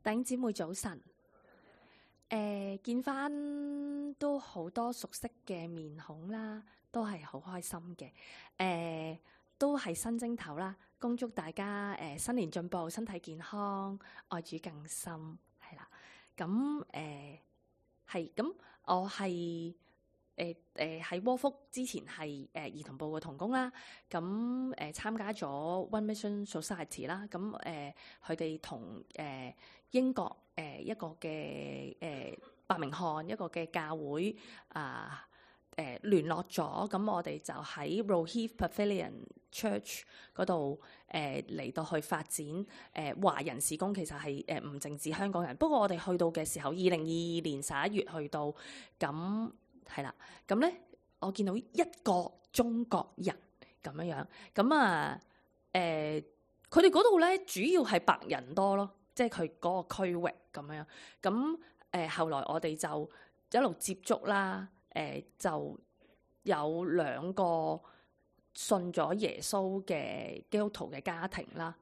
弟兄姊妹早晨，見翻都好多熟悉嘅面孔啦，都係好開心嘅。都係新正頭啦，恭祝大家新年進步，身體健康，愛主更深，係啦。咁係咁，我係喺窩福之前係兒童部嘅同工啦。咁參加咗 One Mission Society 啦。咁佢哋同英國一個嘅伯明翰一個嘅教會聯絡咗，咁我哋就喺 Roheath Pavilion Church 嗰度嚟到去發展華人事工，其實係唔淨止香港人。不過我哋去到嘅時候，2022年11月去到，咁係啦，咁咧我見到一個中國人咁樣，咁佢哋嗰度咧主要係白人多咯，即係佢嗰個區域咁樣。咁後來我哋就一路接觸啦。就有2個信咗耶穌嘅基督徒嘅家庭啦，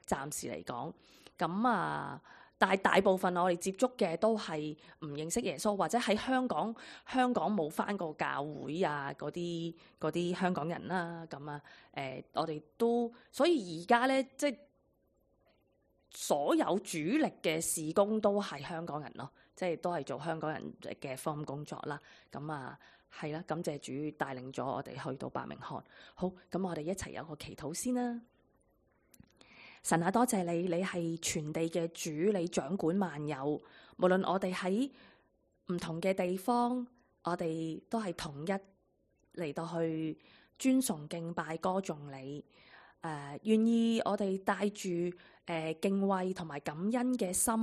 暫時嚟講。咁但係大部分我哋接觸嘅都係唔認識耶穌，或者喺香港冇返過教會啊嗰啲香港人啦。我哋都所以而家咧，即係所有主力嘅事工都係香港人咯。即係都係做香港人嘅福音工作啦。係啦，感謝主帶領咗我哋去到伯明翰。好，咁我哋一齊有個祈禱先啦。神啊，多謝你，你係全地嘅主，你掌管萬有。無論我哋喺唔同嘅地方，我哋都係統一嚟到去尊崇敬拜歌頌你。願意我哋帶住敬畏同埋感恩嘅心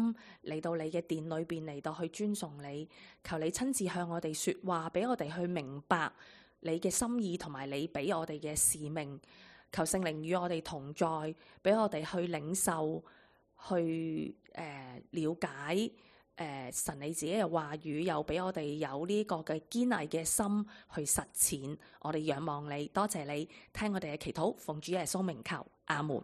嚟到你嘅殿裏邊嚟到去尊崇你，求你親自向我哋說話，俾我哋去明白你嘅心意同埋你俾我哋嘅使命。求聖靈與我哋同在，俾我哋去領受，去了解神你自己嘅話語，又俾我哋有呢個嘅堅毅嘅心去實踐。我哋仰望你，多謝你聽我哋嘅祈禱，奉主耶穌名求，阿門。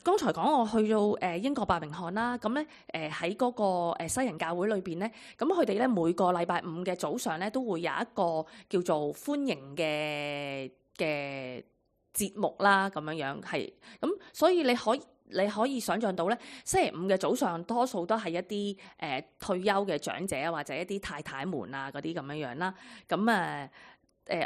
剛才講我去到英國伯明翰啦，咁咧喺嗰個西人教會裏邊咧，咁佢哋咧每個禮拜五嘅早上咧都會有一個叫做歡迎嘅節目啦，咁樣係咁，所以你可以想像到咧，星期五嘅早上多數都係一啲退休嘅長者或者一啲太太們啊嗰啲咁樣啦。咁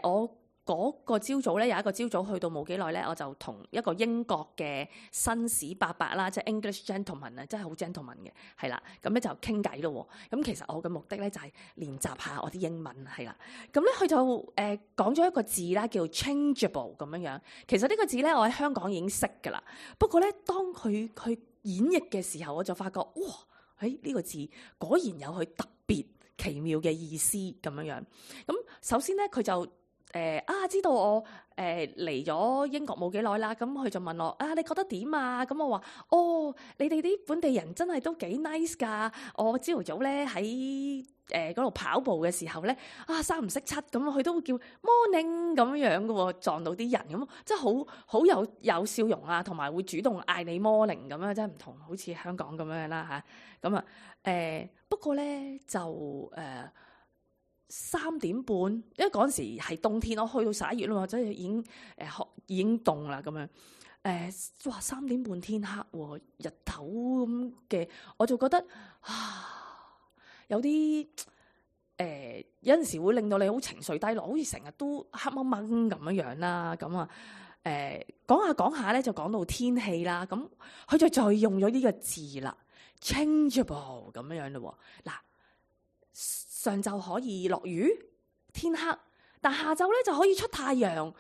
我嗰個朝早咧有一個朝早去到冇幾耐咧，我就同一個英國嘅紳士伯伯啦，即係 English gentleman 啊，真係好 gentleman 嘅，係啦。咁咧就傾偈咯。咁其實我嘅目的咧就係練習下我啲英文，係啦。咁咧佢就講咗一個字啦，叫 changeable 咁樣。其實呢個字咧我喺香港已經識㗎啦。不過咧當佢演繹嘅時候，我就發覺哇，呢個字果然有佢特別奇妙嘅意思咁樣。咁首先咧佢就知道我嚟咗英國冇幾耐啦，咁佢就問我你覺得點啊？咁我話你哋啲本地人真係都幾 nice 㗎。我朝頭早咧喺嗰度跑步嘅時候咧三唔識七咁，佢都會叫 morning 咁樣嘅喎，撞到啲人咁，即係好有笑容啊，同埋會主動嗌你 morning 咁樣，真係唔同，好似香港咁樣啦嚇。咁不過咧就3點半，因為嗰陣時係冬天，我去到11月啦嘛，即係已經凍啦咁樣。哇，3點半天黑喎，日頭咁嘅，我就覺得有啲有陣時會令到你好情緒低落，好似成日都黑掹掹咁樣啦。咁講下咧，就講到天氣啦。咁佢就再用咗呢個字啦 ，changeable 咁樣咯。嗱。上晝可以落雨天黑，但下晝咧就可以出太陽。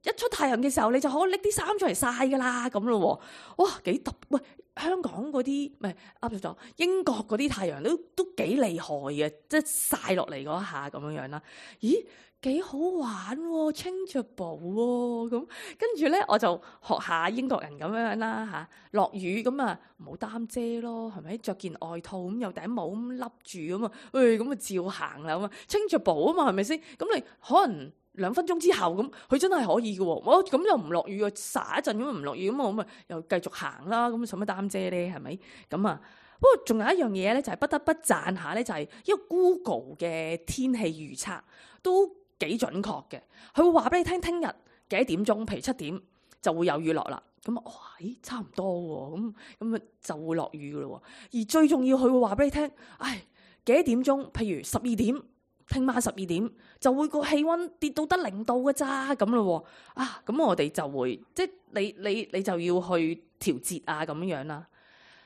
一出太陽嘅時候，你就可以拎啲衫出嚟曬噶啦，咁咯。哇，幾特！喂，香港嗰啲唔係噏咗，英國嗰啲太陽都幾厲害嘅，即係曬落嚟嗰一下咁樣啦。咦，幾好玩喎 ，changeable 喎。咁跟住咧，我就學下英國人咁樣啦嚇。落雨咁唔好擔遮咯，係咪？着件外套咁有頂帽咁笠住咁咁照行啦咁changeable啊嘛，係咪先？咁你可能2分鐘之後咁，佢真係可以嘅喎。我咁又唔落雨啊，灑一陣咁唔落雨咁，我咪又繼續行啦。咁使乜擔遮咧？係咪咁啊？不過仲有一樣嘢咧，就係不得不讚下咧，就係因為 Google 嘅天氣預測都幾準確嘅。佢會話俾你聽，聽日幾點鐘，譬如7點就會有雨落啦。咁哇，差唔多喎。咁就會落雨嘅咯。而最重要，佢會話俾你聽，幾點鐘，譬如12點，聽晚12點就會個氣温跌到得0度嘅咋咁咯。咁我哋就會即係你就要去調節啊咁樣啦。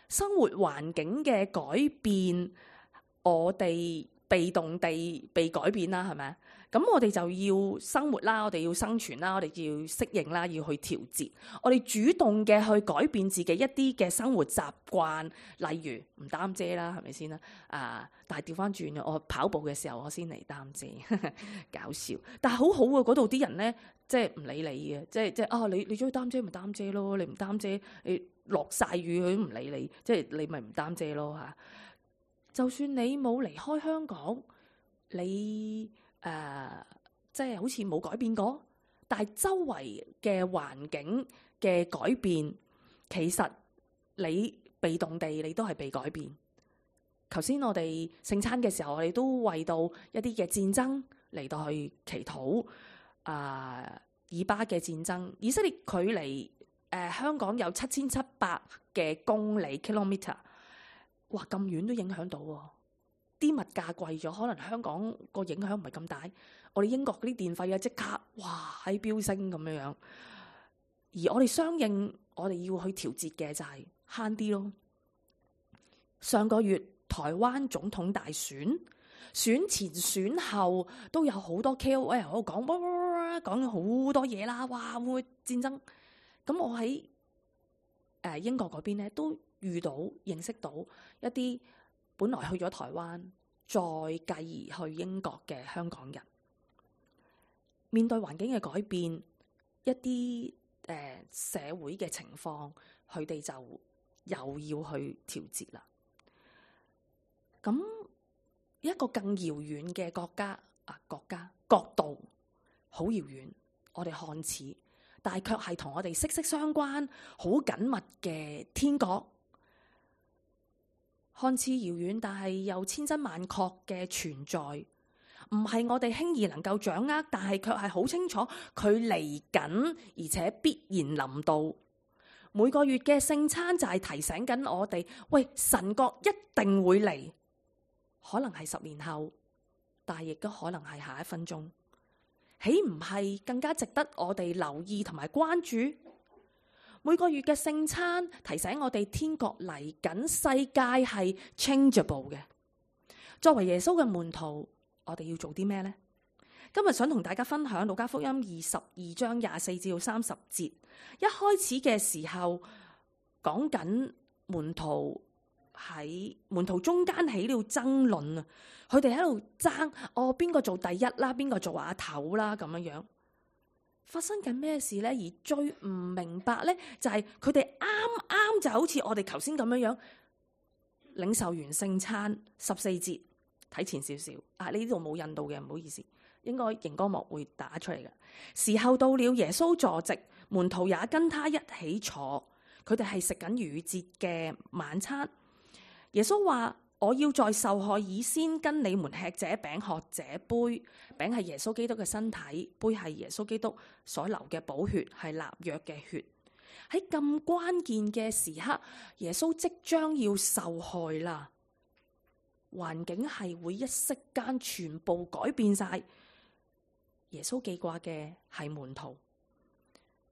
生活環境嘅改變，我哋被動地被改變啦，係咪？咁我哋就要生活啦，我哋要生存啦，我哋要適應啦，要去調節。我哋主動嘅去改變自己一啲嘅生活習慣，例如唔擔遮啦，係咪先啦？但係調翻轉，我跑步嘅時候我先嚟擔遮，搞笑。但係好好啊，嗰度啲人咧，即係唔理你嘅，即係你中意擔遮咪擔遮咯，你唔擔遮你落晒雨佢都唔理你，即係你咪唔擔遮咯嚇。就算你冇離開香港，你即係好似冇改變過，但係周圍嘅環境嘅改變，其實你被動地你都係被改變。頭先我哋聖餐嘅時候，我哋都為到一啲嘅戰爭嚟到去祈禱。以巴嘅戰爭，以色列距離香港有7700嘅公里 kilometer， 哇咁遠都影響到喎。啲物價貴咗，可能香港個影響唔係咁大。我哋英國嗰啲電費啊，即刻哇喺飆升咁樣。而我哋相應，我哋要去調節嘅就係慳啲咯。上個月台灣總統大選，選前選後都有好多 KOL 喺度講咗好多嘢啦。哇，會唔會戰爭？咁我喺英國嗰邊咧都認識到一啲本來去咗台灣，再繼而去英國嘅香港人，面對環境嘅改變，一啲社會嘅情況，佢哋就又要去調節啦。咁一個更遙遠嘅國家角度，好遙遠，我哋看似，但係卻係同我哋息息相關、好緊密嘅天國。看似遙遠，但係又千真萬確嘅存在，唔係我哋輕易能夠掌握，但係卻係好清楚佢嚟緊，而且必然臨到。每個月嘅聖餐就係提醒緊我哋，喂，神國一定會嚟，可能係10年後，但係亦都可能係下一分鐘。豈唔係更加值得我哋留意同埋關注？每個月嘅聖餐提醒我哋天國嚟緊，世界係 changeable 嘅。作為耶穌嘅門徒，我哋要做啲咩呢？今日想同大家分享路加福音22章24至30節。一開始嘅時候講緊門徒中間起了爭論啊，佢哋喺度爭邊個做第一啦，邊個做阿頭啦咁樣樣。發生緊咩事呢？而最唔明白呢，就係佢哋啱就好似我哋頭先咁樣樣，領受完聖餐14節，睇前少少啊！呢度冇印到嘅，唔好意思，應該熒光幕會打出嚟嘅。時候到了，耶穌坐席，門徒也跟他一起坐，佢哋係食緊逾越節嘅晚餐。耶穌話：我要在受害以先跟你們吃這餅喝這杯。餅係耶穌基督嘅身體，杯係耶穌基督所流嘅寶血，係立約嘅血。喺咁關鍵嘅時刻，耶穌即將要受害啦，環境係會一息間全部改變晒。耶穌記掛嘅係門徒，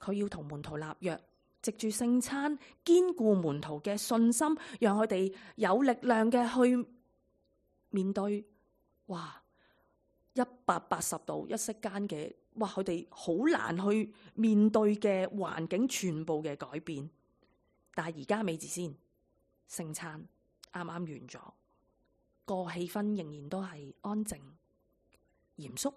佢要同門徒立約。藉住聖餐堅固門徒嘅信心，讓佢哋有力量嘅去面對。哇！180度一息間嘅，哇！佢哋好難去面對嘅環境全部嘅改變。但係而家未至先，聖餐啱啱完咗，個氣氛仍然都係安靜、嚴肅。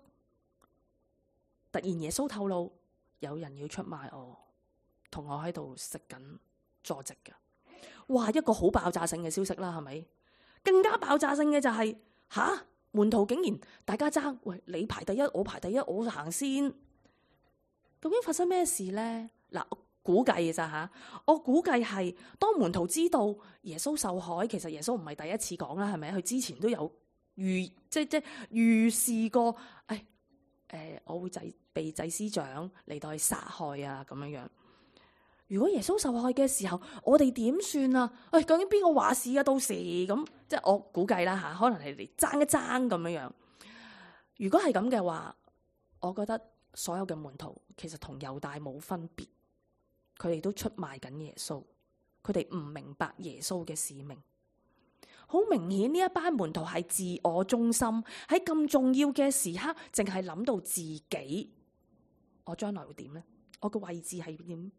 突然耶穌透露，有人要出賣我。同我喺度食緊坐席嘅，哇！一個好爆炸性嘅消息啦，係咪？更加爆炸性嘅就係門徒竟然大家爭，喂，你排第一，我排第一，我行先。究竟發生咩事呢？嗱，我估計嘅咋吓？我估計係當門徒知道耶穌受害，其實耶穌唔係第一次講啦，係咪？佢之前都有即預示過，我會被祭司長嚟到去殺害啊，咁樣樣。如果耶穌受害嘅時候，我哋點算啊？究竟邊個話事啊？到時咁，即係我估計啦吓，可能係嚟爭一爭咁樣樣。如果係咁嘅話，我覺得所有嘅門徒其實同猶大冇分別，佢哋都出賣緊耶穌，佢哋唔明白耶穌嘅使命。好明顯呢一班門徒係自我中心，喺咁重要嘅時刻，淨係諗到自己，我將來會點呢？我嘅位置係點？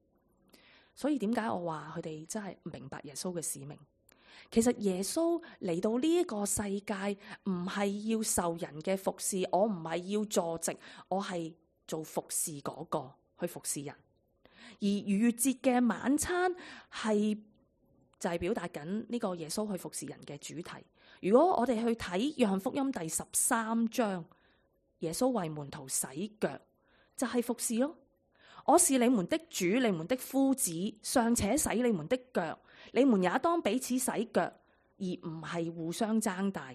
所以點解我話佢哋真係唔明白耶穌嘅使命？其實耶穌嚟到呢一個世界，唔係要受人嘅服侍，我唔係要坐席，我係做服侍嗰個去服侍人。而逾越節嘅晚餐就係表達緊呢個耶穌去服侍人嘅主題。如果我哋去睇約翰福音第13章，耶穌為門徒洗腳，就係服侍咯。我是你們的主，你們的夫子，尚且洗你們的腳，你們也當彼此洗腳，而唔係互相爭大。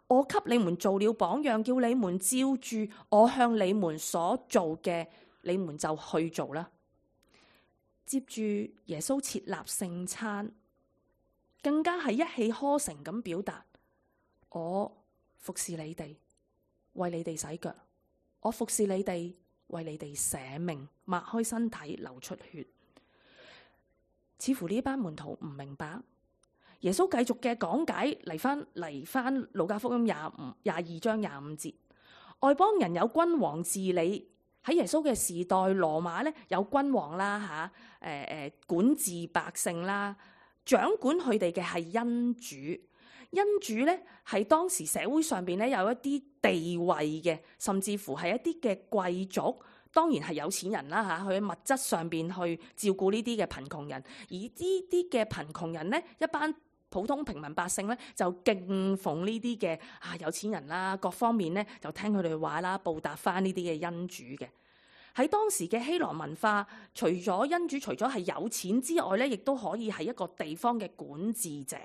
我給你們做了榜樣，叫你們照住我向你們所做嘅，你們就去做啦。接住耶穌設立聖餐，更加係一氣呵成咁表達，我服侍你哋，為你哋洗腳，我服侍你哋，為你哋捨命，擘開身體，流出血。似乎呢班門徒唔明白。耶穌繼續嘅講解嚟翻路加福音22章25節，外邦人有君王治理。喺耶穌嘅時代，羅馬咧有君王啦管治百姓啦，掌管佢哋嘅係恩主。恩主咧係當時社會上邊咧有一啲地位嘅，甚至乎係一啲嘅貴族，當然係有錢人啦嚇，佢喺物質上邊去照顧呢啲嘅貧窮人，而呢啲嘅貧窮人咧，一班普通平民百姓咧就敬奉呢啲嘅有錢人啦，各方面咧就聽佢哋話啦，報答翻呢啲嘅恩主嘅。喺當時嘅希羅文化，除咗恩主，除咗係有錢之外咧，亦都可以係一個地方嘅管治者，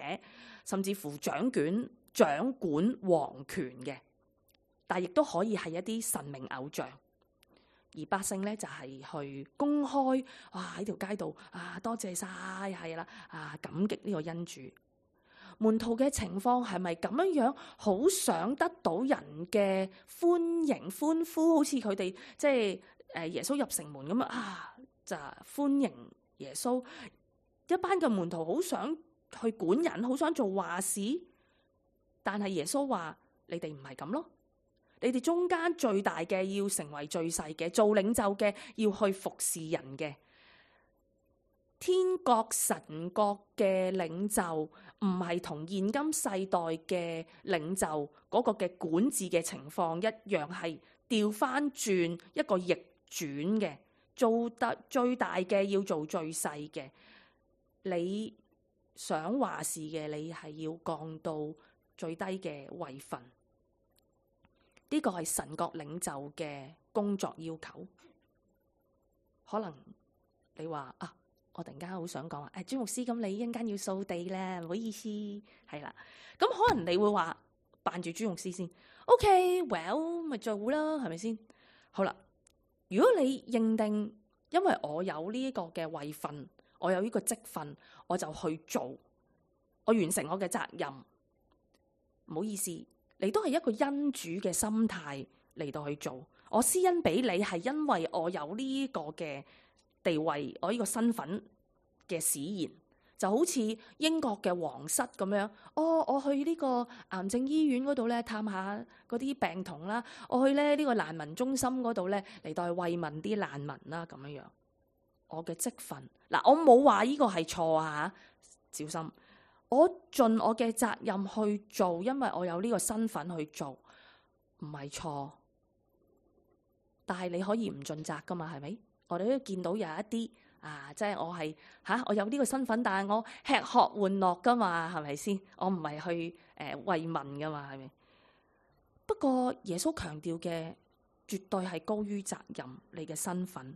甚至乎掌管皇權嘅。但亦都可以係一啲神明偶像，而百姓咧就係去公開喺條街度多謝晒係啦感激呢個恩主。門徒嘅情況係咪咁樣好想得到人嘅歡迎歡呼，好似佢哋即係耶穌入城門咁就歡迎耶穌。一班嘅門徒好想去管人，好想做話事，但係耶穌話：你哋唔係咁咯。你哋中間最大嘅要成為最細嘅，做領袖嘅要去服侍人嘅。天國神國嘅領袖唔係同現今世代嘅領袖嗰個嘅管治嘅情況一樣，係調翻轉一個逆轉嘅，做得最大嘅要做最細嘅。你想話事嘅，你係要降到最低嘅位份。呢個係神國領袖嘅工作要求。可能你話我突然間好想講朱牧師，咁你一陣間要掃地咧，唔好意思，係啦。咁可能你會話扮住朱牧師先 ，OK，well 咪做啦，係咪先？好啦，如果你認定因為我有呢個嘅位份，我有呢個職份，我就去做，我完成我嘅責任，唔好意思。你都係一個恩主嘅心態嚟到去做，我施恩俾你係因為我有呢個嘅地位，我呢個身份嘅使然，就好似英國嘅皇室咁樣。我去呢個癌症醫院嗰度咧探下嗰啲病童啦，我去咧呢個難民中心嗰度咧嚟到去慰問啲難民啦，咁樣樣。我嘅職份我冇話呢個係錯小心。我盡我嘅責任去做，因為我有呢個身份去做，唔係錯。但係你可以唔盡責噶嘛，係咪？我哋都見到有一啲即係我係我有呢個身份，但係我吃喝玩樂噶嘛，係咪先？我唔係去慰問噶嘛，係咪？不過耶穌強調嘅絕對係高於責任，你嘅身份。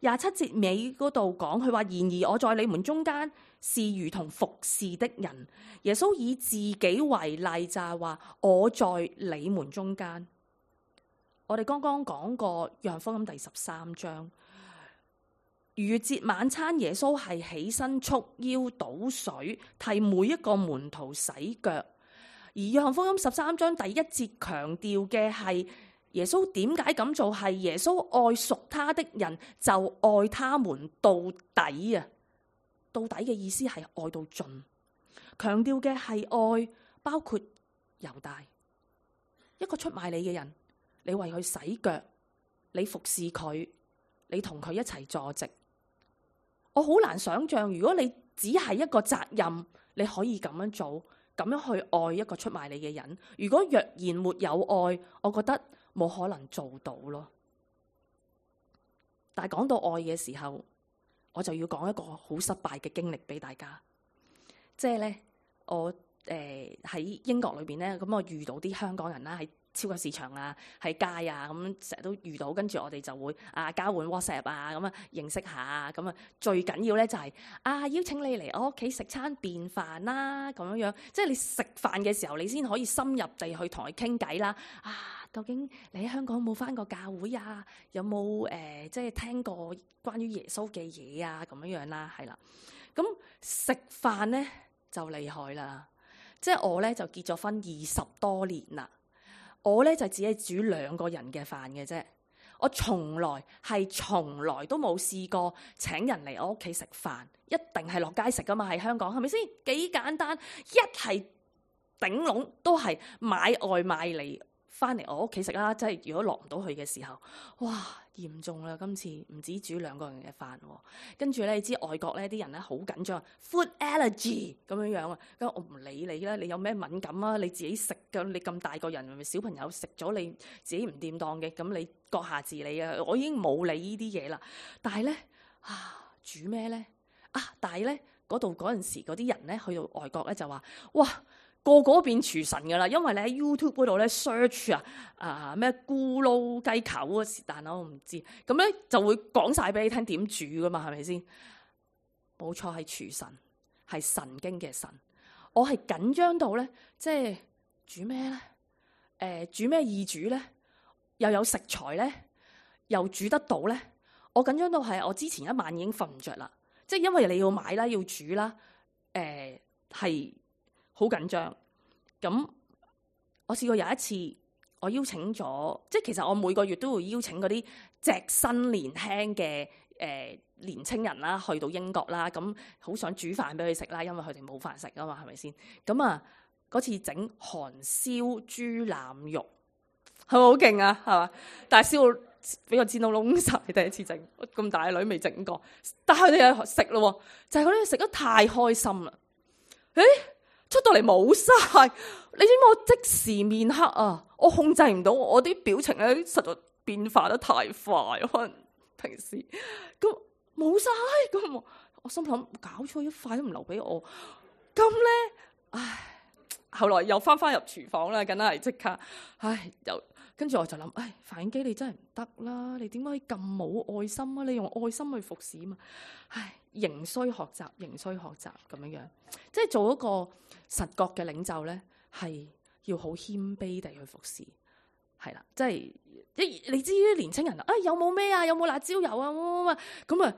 27節尾嗰度講，佢話：然而我在你們中間是如同服侍的人。耶穌以自己為例，就係話我在你們中間。我哋剛剛講過約翰福音第13章，逾越節晚餐，耶穌係起身束腰倒水，替每一個門徒洗腳。而約翰福音13章第1節強調嘅係耶穌點解咁做，係耶穌愛屬他的人就愛他們到底啊！到底嘅意思係愛到盡，強調嘅係愛包括猶大，一個出賣你嘅人，你為佢洗腳，你服侍佢，你同佢一齊坐席。我好難想象，如果你只係一個責任，你可以咁樣做，咁樣去愛一個出賣你嘅人。如果若然沒有愛，我覺得冇可能做到咯。但係講到愛嘅時候，我就要講一個好失敗嘅經歷俾大家。即係咧，我喺英國裏邊咧，咁我遇到啲香港人啦，喺超級市場啊，喺街啊，咁成日都遇到，跟住我哋就會交換 WhatsApp 啊，咁啊認識下，咁啊最緊要咧就係邀請你嚟我屋企食餐便飯啦，咁樣樣，即係你食飯嘅時候，你先可以深入地去同佢傾偈啦。究竟你喺香港冇返過教會啊？有冇即係聽過關於耶穌嘅嘢啊？咁樣樣啦，係啦。咁食飯咧就厲害啦，即係我咧就結咗婚20多年啦。我咧就只係煮2個人嘅飯嘅啫，我從來都冇試過請人嚟我屋企食飯，一定係落街食噶嘛，喺香港係咪先？幾簡單，一係頂籠都係買外賣嚟翻嚟我屋企食啦。即係如果落唔到去嘅時候，哇嚴重啦！今次唔止煮2個人嘅飯，跟住咧你知外國咧啲人咧好緊張 ，food allergy 咁樣樣啊。咁我唔理你啦，你有咩敏感啊？你自己食㗎，你咁大個人，咪小朋友食咗你自己唔掂當嘅，咁你閣下自理啊！我已經冇理呢啲嘢啦。但係咧煮咩咧但係咧嗰陣時嗰啲人咧去到外國咧就話哇！個個變廚神噶啦，因為你喺 YouTube 嗰度咧 search 咩咕嚕雞球啊，是但我唔知，咁咧就會講晒俾你聽點煮噶嘛，係咪先？冇錯，係廚神，係神經嘅神。我係緊張到咧，即係煮咩咧？煮咩易煮咧？又有食材咧，又煮得到咧？我緊張到係我之前一晚已經瞓唔着啦，即係因為你要買啦，要煮啦，係。好緊張，咁我試過有一次，我邀請咗，即係其實我每個月都會邀請嗰啲隻身年輕嘅年青人啦，去到英國啦，咁好想煮飯俾佢食啦，因為佢哋冇飯食啊嘛，係咪先？咁嗰次整韓燒豬腩肉，係咪好勁啊？係嘛？但係燒到俾個煎到燶晒，第一次整，咁大女未整過，但係佢哋又食咯，就係佢哋食得太開心啦，出到嚟冇晒，你知唔知我即時面黑啊？我控制唔到我啲表情咧，實在變化得太快，可能平時咁冇晒，咁我心諗搞錯，一塊都唔留俾我，咁咧，後來又翻入廚房啦，梗係即刻，又跟住我就諗，飯影機你真係唔得啦，你點解可以咁冇愛心啊？你用愛心去服侍啊嘛，仍需學習咁樣樣，即係做一個實覺嘅領袖咧，係要好謙卑地去服侍，係啦，即係你知啲年青人有冇咩啊？有冇辣椒油啊？咁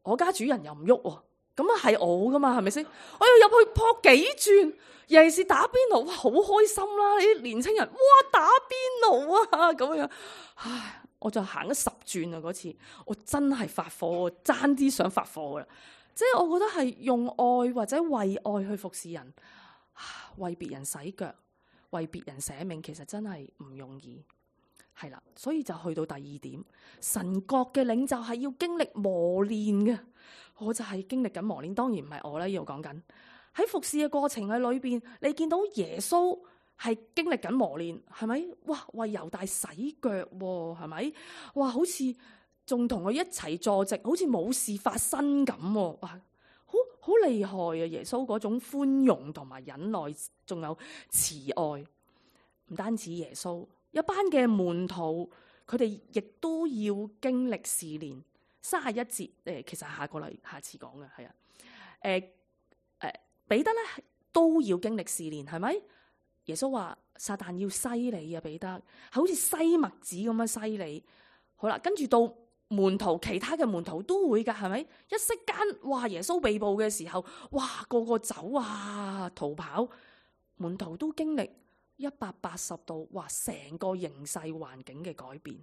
我家主人又唔喐喎，咁係我噶嘛，係咪先？我要入去撲幾轉，尤其是打邊爐，哇，好開心啦！你啲年青人，哇，打邊爐啊，咁樣，我就行咗10轉啊！嗰次我真係發火，爭啲想發火啦！即係我覺得係用愛或者為愛去服侍人，為別人洗腳，為別人捨命，其實真係唔容易。係啦，所以就去到第2點，神國嘅領袖係要經歷磨練嘅。我就係經歷緊磨練，當然唔係我啦，呢度講緊喺服侍嘅過程喺裏邊，你見到耶穌係經歷緊磨練，係咪？哇，為猶大洗腳喎，係咪？哇，好似仲同佢一齊坐席，好似冇事發生咁喎。哇，好厲害啊！耶穌嗰種寬容同埋忍耐，仲有慈愛。唔單止耶穌，一班嘅門徒，佢哋亦都要經歷試煉。31節其實下次講嘅係啊，彼得咧都要經歷試煉，係咪？耶穌話撒旦要篩你啊，彼得，係好似篩麥子咁樣篩你。好啦，跟住到門徒，其他嘅門徒都會噶，係咪？一息間，哇！耶穌被捕嘅時候，哇，個個走啊，逃跑，門徒都經歷180度，哇！成個形勢環境嘅改變，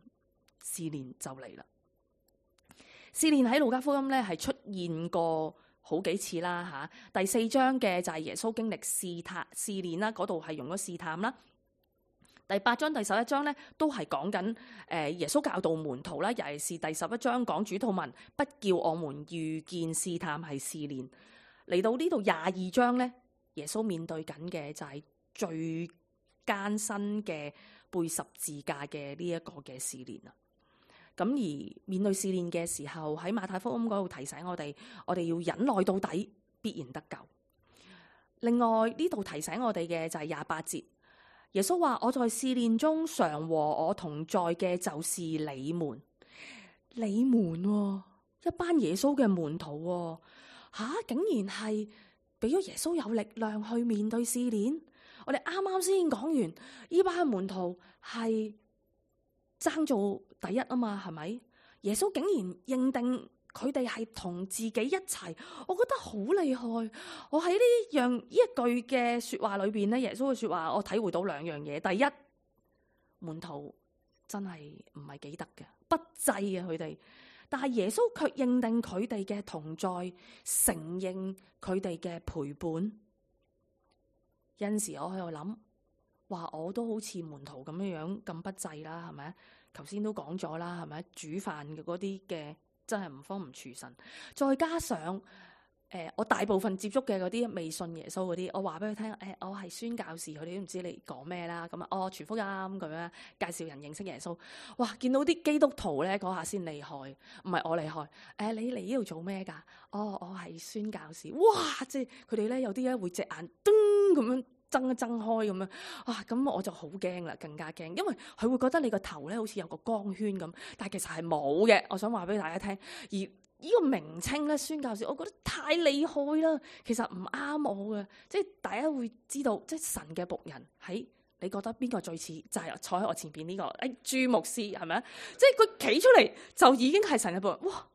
試煉就嚟啦。試煉喺路加福音咧係出現過好幾次啦嚇。第4章嘅就係耶穌經歷試煉啦，嗰度係用咗試探啦。第8章、第11章咧都係講緊耶穌教導門徒啦，尤其是第11章講主禱文，不叫我們遇見試探係試煉。嚟到呢度22章咧，耶穌面對緊嘅就係最艱辛嘅背十字架嘅呢一個嘅試煉啦。咁而面對試煉嘅時候，喺馬太福音嗰度提醒我哋要忍耐到底，必然得救。另外呢度提醒我哋嘅就係28節，耶穌話：我在試煉中常和我同在嘅就是你們，一班耶穌嘅門徒竟然係俾咗耶穌有力量去面對試煉。我哋啱啱先講完，呢班門徒係爭做第一啊嘛，係咪？耶穌竟然認定佢哋係同自己一齊，我覺得好厲害。我喺呢一句嘅說話裏邊咧，耶穌嘅說話，我體會到2樣嘢。第一，門徒真係唔係幾得嘅，不濟啊佢哋。但係耶穌卻認定佢哋嘅同在，承認佢哋嘅陪伴。有陣時我喺度諗，話我都好似門徒咁樣咁不濟啦，係咪？頭先都講咗啦，係咪？煮飯嘅嗰啲嘅真係唔方唔廚神，再加上我大部分接觸嘅嗰啲未信耶穌嗰啲，我話俾佢聽，我係宣教士，佢哋都唔知你講咩啦。咁啊，傳福音咁樣介紹人認識耶穌。哇！見到啲基督徒咧，嗰下先厲害，唔係我厲害。你嚟呢度做咩㗎？我係宣教士。哇！即係佢哋咧有啲咧會隻眼噔咁樣睜一睜開咁樣，哇！咁我就好驚啦，更加驚，因為佢會覺得你個頭咧好似有個光圈咁，但係其實係冇嘅。我想話俾大家聽，而呢個名稱咧，宣教士，我覺得太厲害啦。其實唔啱我嘅，即係大家會知道，即係神嘅僕人喺你覺得邊個最似？就係坐喺我前邊呢個朱牧師係咪啊？即係佢企出嚟就已經係神嘅僕人。哇！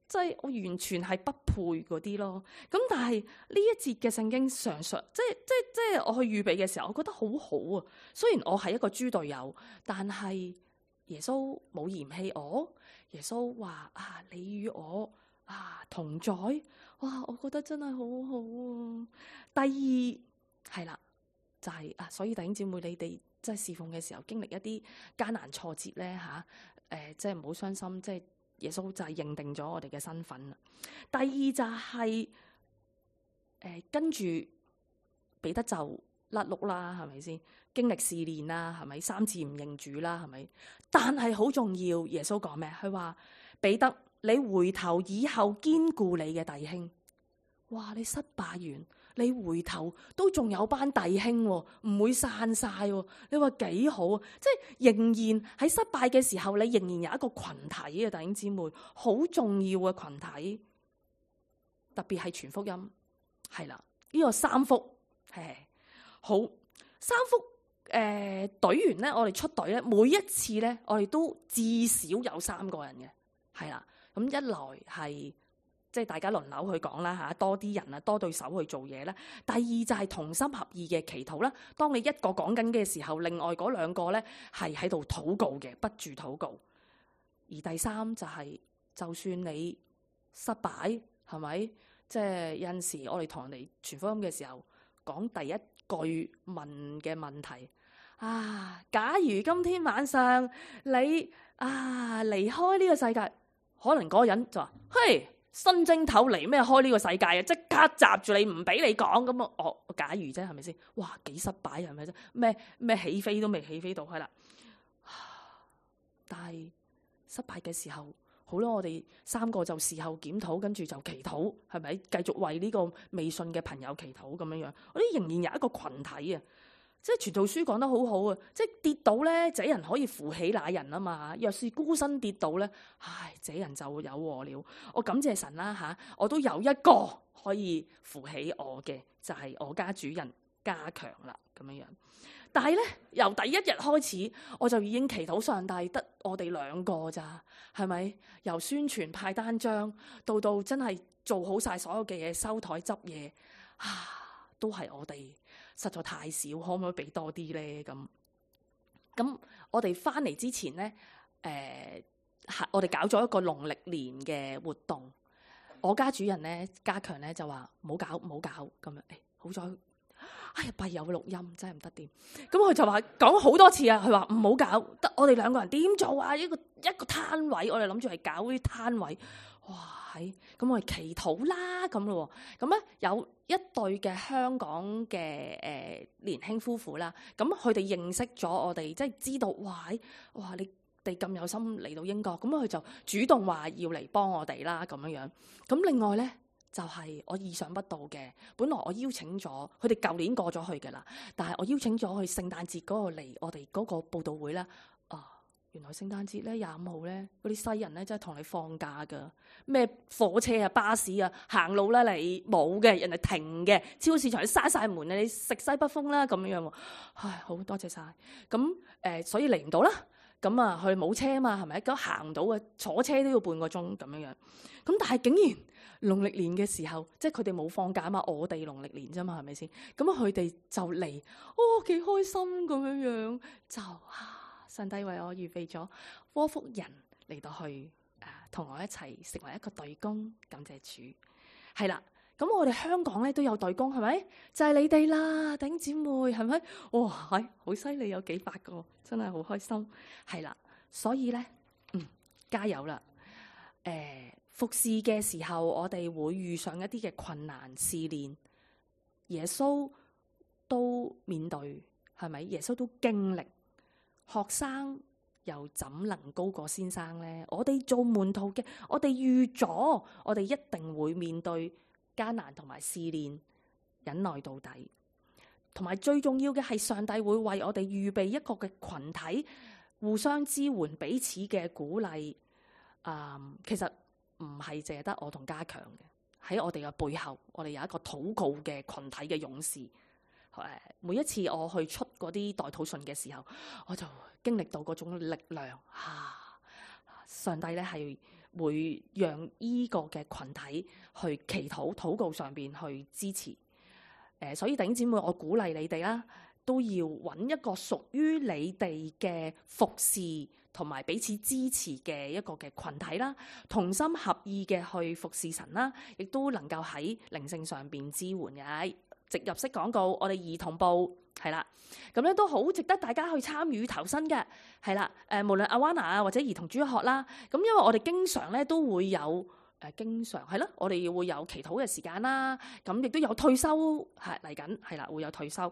即係我完全係不配嗰啲咯。咁但係呢一節嘅聖經上述，即係我去預備嘅時候，我覺得好好啊。雖然我係一個豬隊友，但係耶穌冇嫌棄我。耶穌話你與我同在，哇！我覺得真係好好啊。第二係啦，就係所以弟兄姊妹，你哋即係侍奉嘅時候經歷一啲艱難挫折咧即係唔好傷心，即係。耶穌就係認定咗我哋嘅身份啦。第二就係跟住彼得就甩碌啦，係咪先？經歷試煉啦，係咪？3次唔認主啦，係咪？但係好重要，耶穌講咩？佢話彼得，你回頭以後堅固你嘅弟兄。哇！你失敗完，你回頭都仲有班弟兄，唔會散晒。你話幾好啊？即係仍然喺失敗嘅時候，你仍然有一個群體啊，弟兄姊妹，好重要嘅群體。特別係傳福音，係啦，呢個3福係好3福。隊員咧，我哋出隊咧，每一次咧，我哋都至少有3個人嘅，係啦。咁一來係。即係大家輪流去講啦嚇，多啲人啊，多對手去做嘢啦。第二就係同心合意嘅祈禱啦。當你一個講緊嘅時候，另外嗰2個咧係喺度禱告嘅，不住禱告。而第3就係，就算你失敗，係咪？即係有陣時我哋同人哋傳福音嘅時候，講第一句問嘅問題假如今天晚上你離開呢個世界，可能嗰個人就話：嘿！新正頭嚟咩？開呢個世界啊！即刻閘住你，唔俾你講咁啊！我假如啫，係咪先？哇，幾失敗係咪啫？咩起飛都未起飛到，係啦。但係失敗嘅時候，好啦，我哋3個就事後檢討，跟住就祈禱，係咪？繼續為呢個未信嘅朋友祈禱咁樣樣。我哋仍然有一個群體啊。即係傳道書講得好好啊！即係跌倒咧，這人可以扶起那人啊嘛。若是孤身跌倒咧，唉，這人就有禍了。我感謝神啦嚇，我都有一個可以扶起我嘅，就係我家主人家強啦咁樣樣。但係咧，由第一日開始，我就已經祈禱上帝得我哋兩個咋，係咪？由宣傳派單張到真係做好晒所有嘅嘢，收台執嘢都係我哋實在太少，可唔可以俾多啲咧？咁我哋翻嚟之前咧，我哋搞咗一個農曆年嘅活動。我家主人咧，家強咧就話唔好搞咁樣。好在，哎呀，弊有錄音真係唔得掂。咁佢就話講好多次啊，佢話唔好搞，得我哋兩個人點做啊？一個攤位，我哋諗住係搞啲攤位。哇！咁我哋祈禱啦咁咯。咁咧有一對嘅香港嘅年輕夫婦啦，咁佢哋認識咗我哋，即係知道哇你哋咁有心嚟到英國，咁佢就主動話要嚟幫我哋啦咁樣樣。咁另外咧就係我意想不到嘅，本來我邀請咗佢哋舊年過咗去嘅啦，但係我邀請咗佢聖誕節嗰個嚟我哋嗰個佈道會啦。原來聖誕節咧25號咧，嗰啲西人咧真係同你放假噶，咩火車啊、巴士啊、行路啦，你冇嘅，人哋停嘅，超市場你閂晒門啊，你食西北風啦咁樣喎。唉，好多謝晒。咁所以嚟唔到啦。咁啊，佢冇車啊嘛，係咪？咁行唔到嘅，坐車都要半個鐘咁樣樣。咁但係竟然農曆年嘅時候，即係佢哋冇放假啊嘛，我哋農曆年啫嘛，係咪先？咁佢哋就嚟，幾開心咁樣樣就上帝為我預備咗窩福人嚟到去同我一齊成為一個隊工，感謝主。係啦，咁我哋香港咧都有隊工，係咪？就係你哋啦，弟兄姊妹，係咪？哇，好犀利，有幾百個，真係好開心。係啦，所以咧，加油啦！服侍嘅時候，我哋會遇上一啲嘅困難試煉，耶穌都面對，係咪？耶穌都經歷。學生又怎能高過先生呢？我哋做門徒嘅，我哋預咗，我哋一定會面對艱難同埋試煉，忍耐到底。同埋最重要嘅係，上帝會為我哋預備一個嘅群體，互相支援，彼此嘅鼓勵。其實唔係淨係得我同家強嘅，喺我哋嘅背後，我哋有一個禱告嘅群體嘅勇士。每一次我去出嗰啲代禱信嘅時候，我就經歷到嗰種力量。上帝咧係會讓依個嘅群體去祈禱、禱告上邊去支持。所以弟兄姊妹，我鼓勵你哋啦，都要揾一個屬於你哋嘅服侍同埋彼此支持嘅一個嘅群體啦，同心合意嘅去服侍神啦，亦都能夠喺靈性上邊支援嘅。植入式廣告，我哋兒童部係啦，咁咧都好值得大家去參與投身嘅，係啦。無論阿灣娜啊或者兒童主學啦，咁因為我哋經常咧都會有經常係咯，我哋會有祈禱嘅時間啦，咁亦都有退休係嚟緊，係啦，會有退休，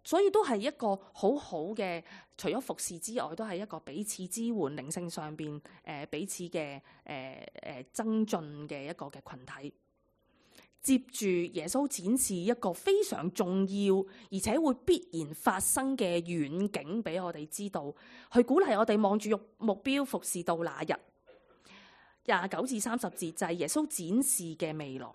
所以都係一個好好嘅，除咗服侍之外，都係一個彼此支援靈性上邊彼此嘅增進嘅一個嘅群體。接住耶穌展示一個非常重要而且會必然發生嘅遠景俾我哋知道，去鼓勵我哋望住目標服侍到那日。29至30節就係耶穌展示嘅未來。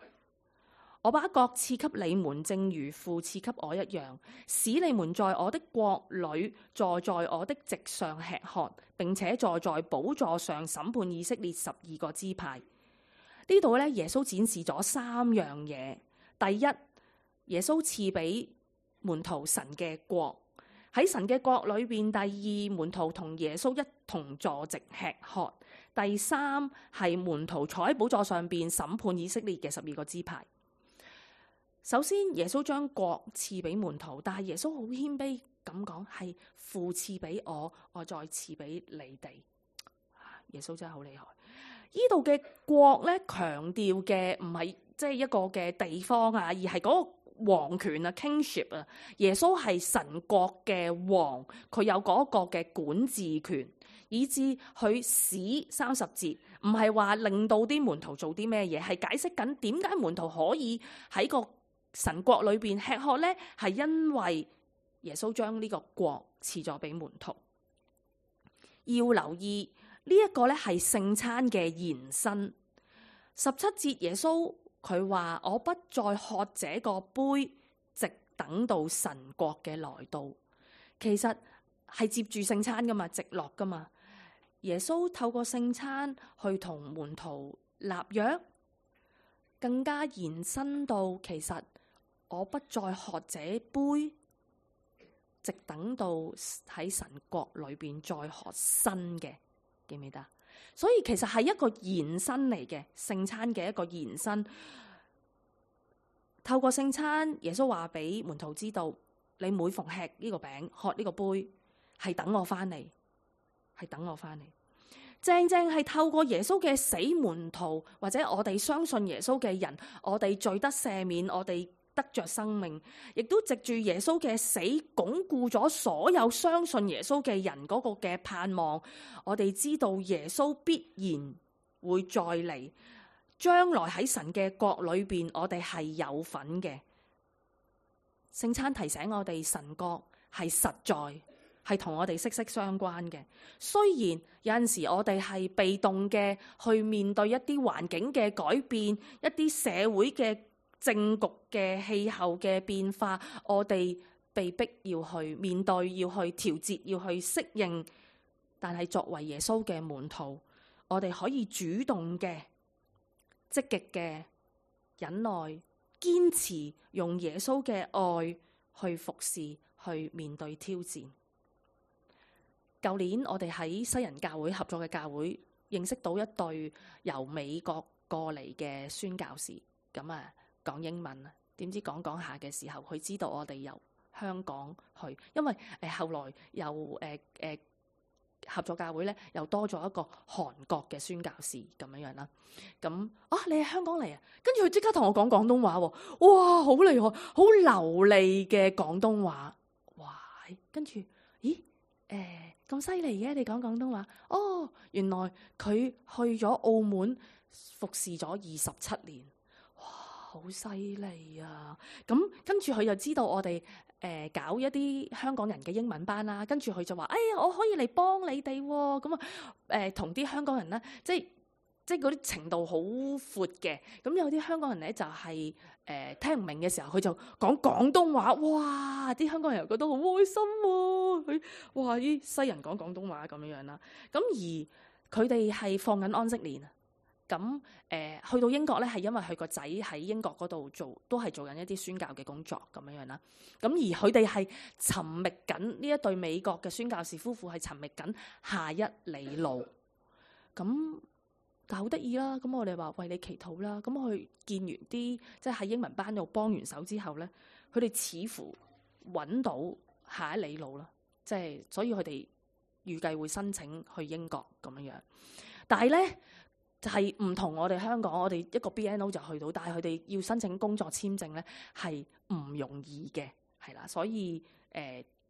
我把國賜給你們，正如父賜給我一樣，使你們在我的國裏坐在我的席上吃喝，並且坐在寶座上審判以色列12個支派。呢度咧，耶穌展示咗3樣嘢。第一，耶穌賜俾門徒神嘅國，喺神嘅國裏邊。第二，門徒同耶穌一同坐席吃喝。第三，係門徒坐喺寶座上邊審判以色列嘅12個支派。首先，耶穌將國賜俾門徒，但係耶穌好謙卑咁講，係父賜俾我，我再賜俾你哋。耶穌真係好厲害。呢度嘅國咧，強調嘅唔係即係一個嘅地方啊，而係嗰個王權啊 ，kingship 啊。耶穌係神國嘅王，佢有嗰個嘅管治權，以致佢使30節唔係話令到啲門徒做啲咩嘢，係解釋緊點解門徒可以喺個神國裏邊吃喝咧，係因為耶穌將呢個國賜咗俾門徒。要留意呢一個咧係聖餐嘅延伸。17節耶穌佢話：我不再喝這個杯，直等到神國嘅來到。其實係接住聖餐噶嘛，直落噶嘛。耶穌透過聖餐去同門徒立約，更加延伸到其實我不再喝這杯，直等到喺神國裏邊再喝新嘅，記唔記得？所以其實係一個延伸嚟嘅，聖餐嘅一個延伸。透過聖餐，耶穌話俾門徒知道，你每逢吃呢個餅、喝呢個杯，係等我翻嚟，係等我翻嚟。正正係透過耶穌嘅死，門徒或者我哋相信耶穌嘅人，我哋罪得赦免，我哋得着生命，亦都藉住耶穌嘅死，鞏固咗所有相信耶穌嘅人嗰個嘅盼望。我哋知道耶穌必然會再嚟，將來喺神嘅國裏邊，我哋係有份嘅。聖餐提醒我哋，神國係實在，係同我哋息息相關嘅。雖然有陣時我哋係被動嘅去面對一啲環境嘅改變，一啲社會嘅政局嘅氣候嘅變化，我哋被逼要去面對，要去調節，要去適應。但係作為耶穌嘅門徒，我哋可以主動嘅、積極嘅忍耐、堅持，用耶穌嘅愛去服侍，去面對挑戰。舊年我哋喺西人教會合作嘅教會，認識到一對由美國過嚟嘅宣教士，咁啊講英文啊，點知講下嘅時候，佢知道我哋由香港去，因為後來又合作教會咧又多咗一個韓國嘅宣教士咁樣啦。咁你喺香港嚟啊？跟住佢即刻同我講廣東話喎，哇，好厲害，好流利嘅廣東話，哇！跟住咦咁犀利嘅，你講廣東話？哦，原來佢去咗澳門服侍咗27年，哇，好犀利啊！咁跟住佢又知道我哋搞一啲香港人嘅英文班啦，跟住佢就話：我可以嚟幫你哋喎。咁啊同啲香港人咧，即係嗰啲程度好闊嘅。咁有啲香港人咧就係聽唔明嘅時候，佢就講廣東話，哇！啲香港人又覺得好開心喎。哇！啲西人講廣東話咁樣啦。咁而佢哋係放緊安息年啊。咁去到英國咧，係因為佢個仔喺英國嗰度都係做緊一啲宣教嘅工作咁樣啦。咁而佢哋係尋覓緊呢一對美國嘅宣教士夫婦係尋覓緊下一里路。咁但係好得意啦。咁我哋話為你祈禱啦。咁佢見完啲即係喺英文班度幫完手之後咧，佢哋似乎揾到下一里路啦。即係所以佢哋預計會申請去英國咁樣。但係咧就係唔同我哋香港，我哋一個 BNO 就去到，但係佢哋要申請工作簽證咧係唔容易嘅，係啦，所以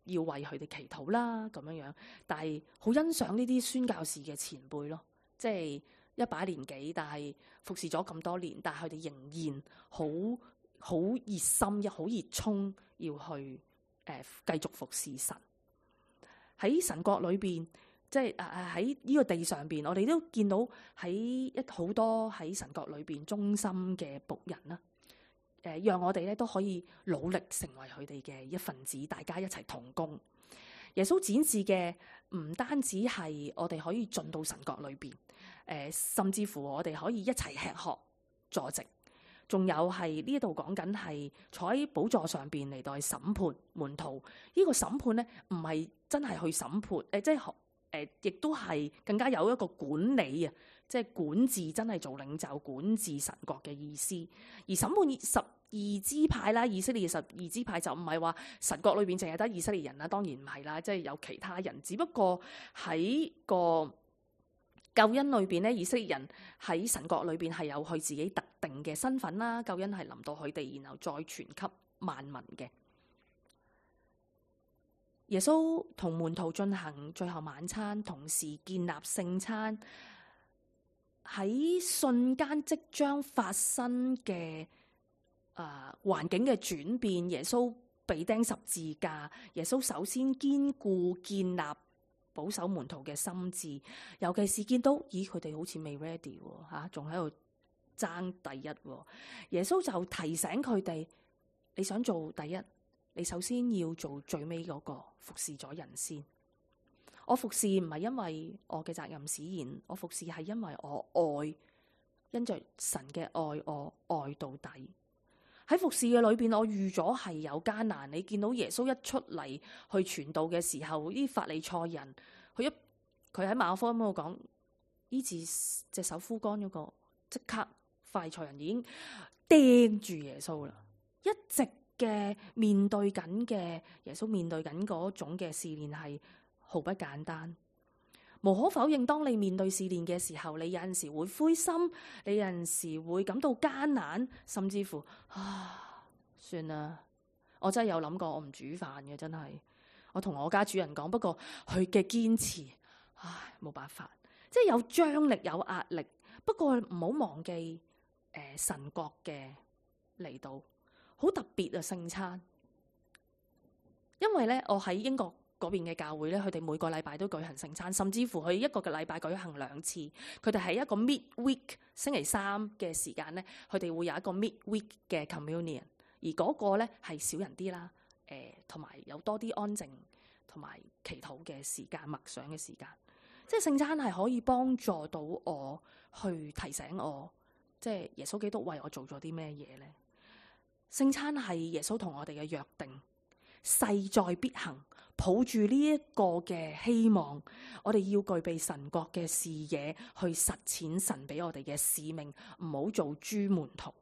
要為佢哋祈禱啦咁樣。但係好欣賞呢啲宣教士嘅前輩咯，即係一把年紀，但係服侍咗咁多年，但係佢哋仍然好熱心，好熱衷要去繼續服侍神喺神國裏邊。即係喺呢個地上邊，我哋都見到喺好多喺神國裏邊忠心嘅僕人啦。讓我哋咧都可以努力成為佢哋嘅一份子，大家一齊同工。耶穌展示嘅唔單止係我哋可以進到神國裏邊，甚至乎我哋可以一齊吃喝坐席，仲有係呢一度講緊係坐喺寶座上邊嚟到審判門徒。呢個審判咧唔係真係去審判，即係。亦都係更加有一個管理啊，即係管治，真係做領袖管治神國嘅意思。而審判12支派啦，以色列12支派就唔係話神國裏邊淨係得以色列人啦，當然唔係啦，即係有其他人。只不過喺個救恩裏邊咧，以色列人喺神國裏邊係有佢自己特定嘅身份啦。救恩係臨到佢哋，然後再傳給萬民嘅。耶穌同門徒進行最後晚餐，同時建立聖餐。喺瞬間即將發生嘅環境嘅轉變，耶穌被釘十字架，耶穌首先堅固建立保守門徒嘅心智，尤其是見到咦佢哋好似未 ready 喎，仲喺度爭第一喎。耶穌就提醒佢哋：你想做第一，你首先要做最尾嗰個，服侍咗人先。我服侍唔係因為我嘅責任使然，我服侍係因為我愛，因着神嘅愛，我愛到底。喺服侍嘅裏邊，我預咗係有艱難。你見到耶穌一出嚟去傳道嘅時候，啲法利賽人，佢喺馬可福音嗰度講醫治隻手枯乾嗰個，即刻法利賽人已經釘住耶穌啦。一直嘅面對緊嘅耶穌面對緊嗰種嘅試煉係毫不簡單。無可否認，當你面對試煉嘅時候，你有陣時會灰心，你有陣時會感到艱難，甚至乎算啦，我真係有諗過我唔煮飯嘅，真係。我同我家主人講，不過佢嘅堅持，冇辦法，即係有張力有壓力。不過唔好忘記神國嘅嚟到，好特別啊聖餐。因為咧我喺英國嗰邊嘅教會咧，佢哋每個禮拜都舉行聖餐，甚至乎佢一個嘅禮拜舉行2次。佢哋係一個 midweek 星期三嘅時間咧，佢哋會有一個 midweek 嘅 communion， 而嗰個咧係少人啲啦，同埋有多啲安靜同埋祈禱嘅時間、默想嘅時間。即係聖餐係可以幫助到我去提醒我，即係耶穌基督為我做咗啲咩嘢咧？聖餐係耶穌同我哋嘅約定，勢在必行。抱住呢一個嘅希望，我哋要具備神國嘅視野，去實踐神俾我哋嘅使命，唔好做豬門徒。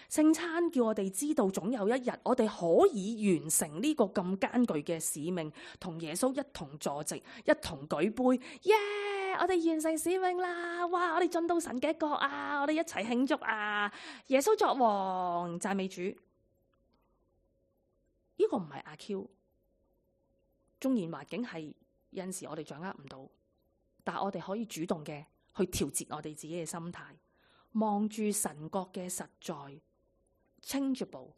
聖餐叫我哋知道，總有一日我哋可以完成呢個咁艱巨嘅使命，同耶穌一同坐席，一同舉杯，耶！我哋完成使命啦！哇！我哋進到神嘅國啊！我哋一齊慶祝啊！耶穌作王，讚美主。呢個唔係阿 Q。縱然環境係有陣時我哋掌握唔到，但我哋可以主動嘅去調節我哋自己嘅心態，望住神國嘅實在 changeable，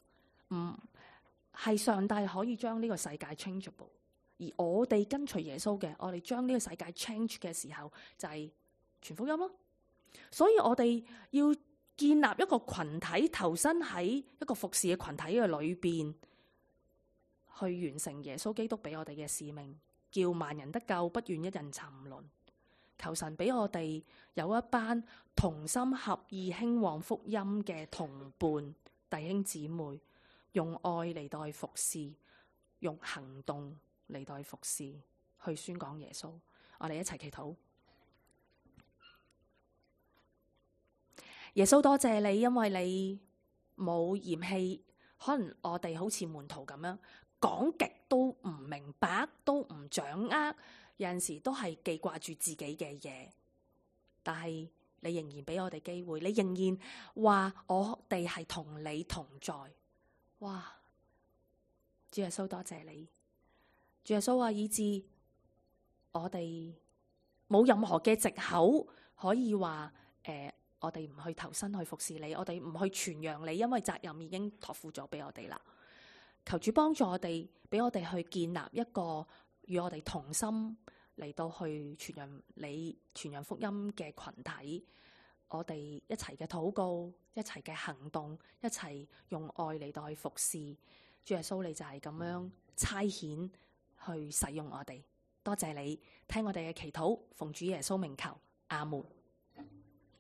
係上帝可以將呢個世界 changeable， 而我哋跟隨耶穌嘅，我哋將呢個世界 change 嘅時候就係傳福音咯。所以我哋要建立一個群體，投身喺一個服侍嘅群體嘅裏邊，去完成耶穌基督俾我哋嘅使命，叫萬人得救，不願一人沉淪。求神俾我哋有一班同心合意興旺福音嘅同伴弟兄姊妹，用愛嚟代服侍，用行動嚟代服侍，去宣講耶穌。我哋一齊祈禱。耶穌多謝你，因為你冇嫌棄，可能我哋好似門徒咁樣，講極都唔明白，都唔掌握，有陣時都係記掛住自己嘅嘢。但係你仍然俾我哋機會，你仍然話我哋係同你同在。哇！主耶穌多謝你，主耶穌話以致我哋冇任何嘅藉口可以話我哋唔去投身去服侍你，我哋唔去傳揚你，因為責任已經託付咗俾我哋啦。求主幫助我哋，俾我哋去建立一個與我哋同心嚟到去傳揚你、傳揚福音嘅群體。我哋一齊嘅禱告，一齊嘅行動，一齊用愛嚟到去服侍。主耶穌，你就係咁樣差遣去使用我哋。多謝你聽我哋嘅祈禱，奉主耶穌名求，阿門。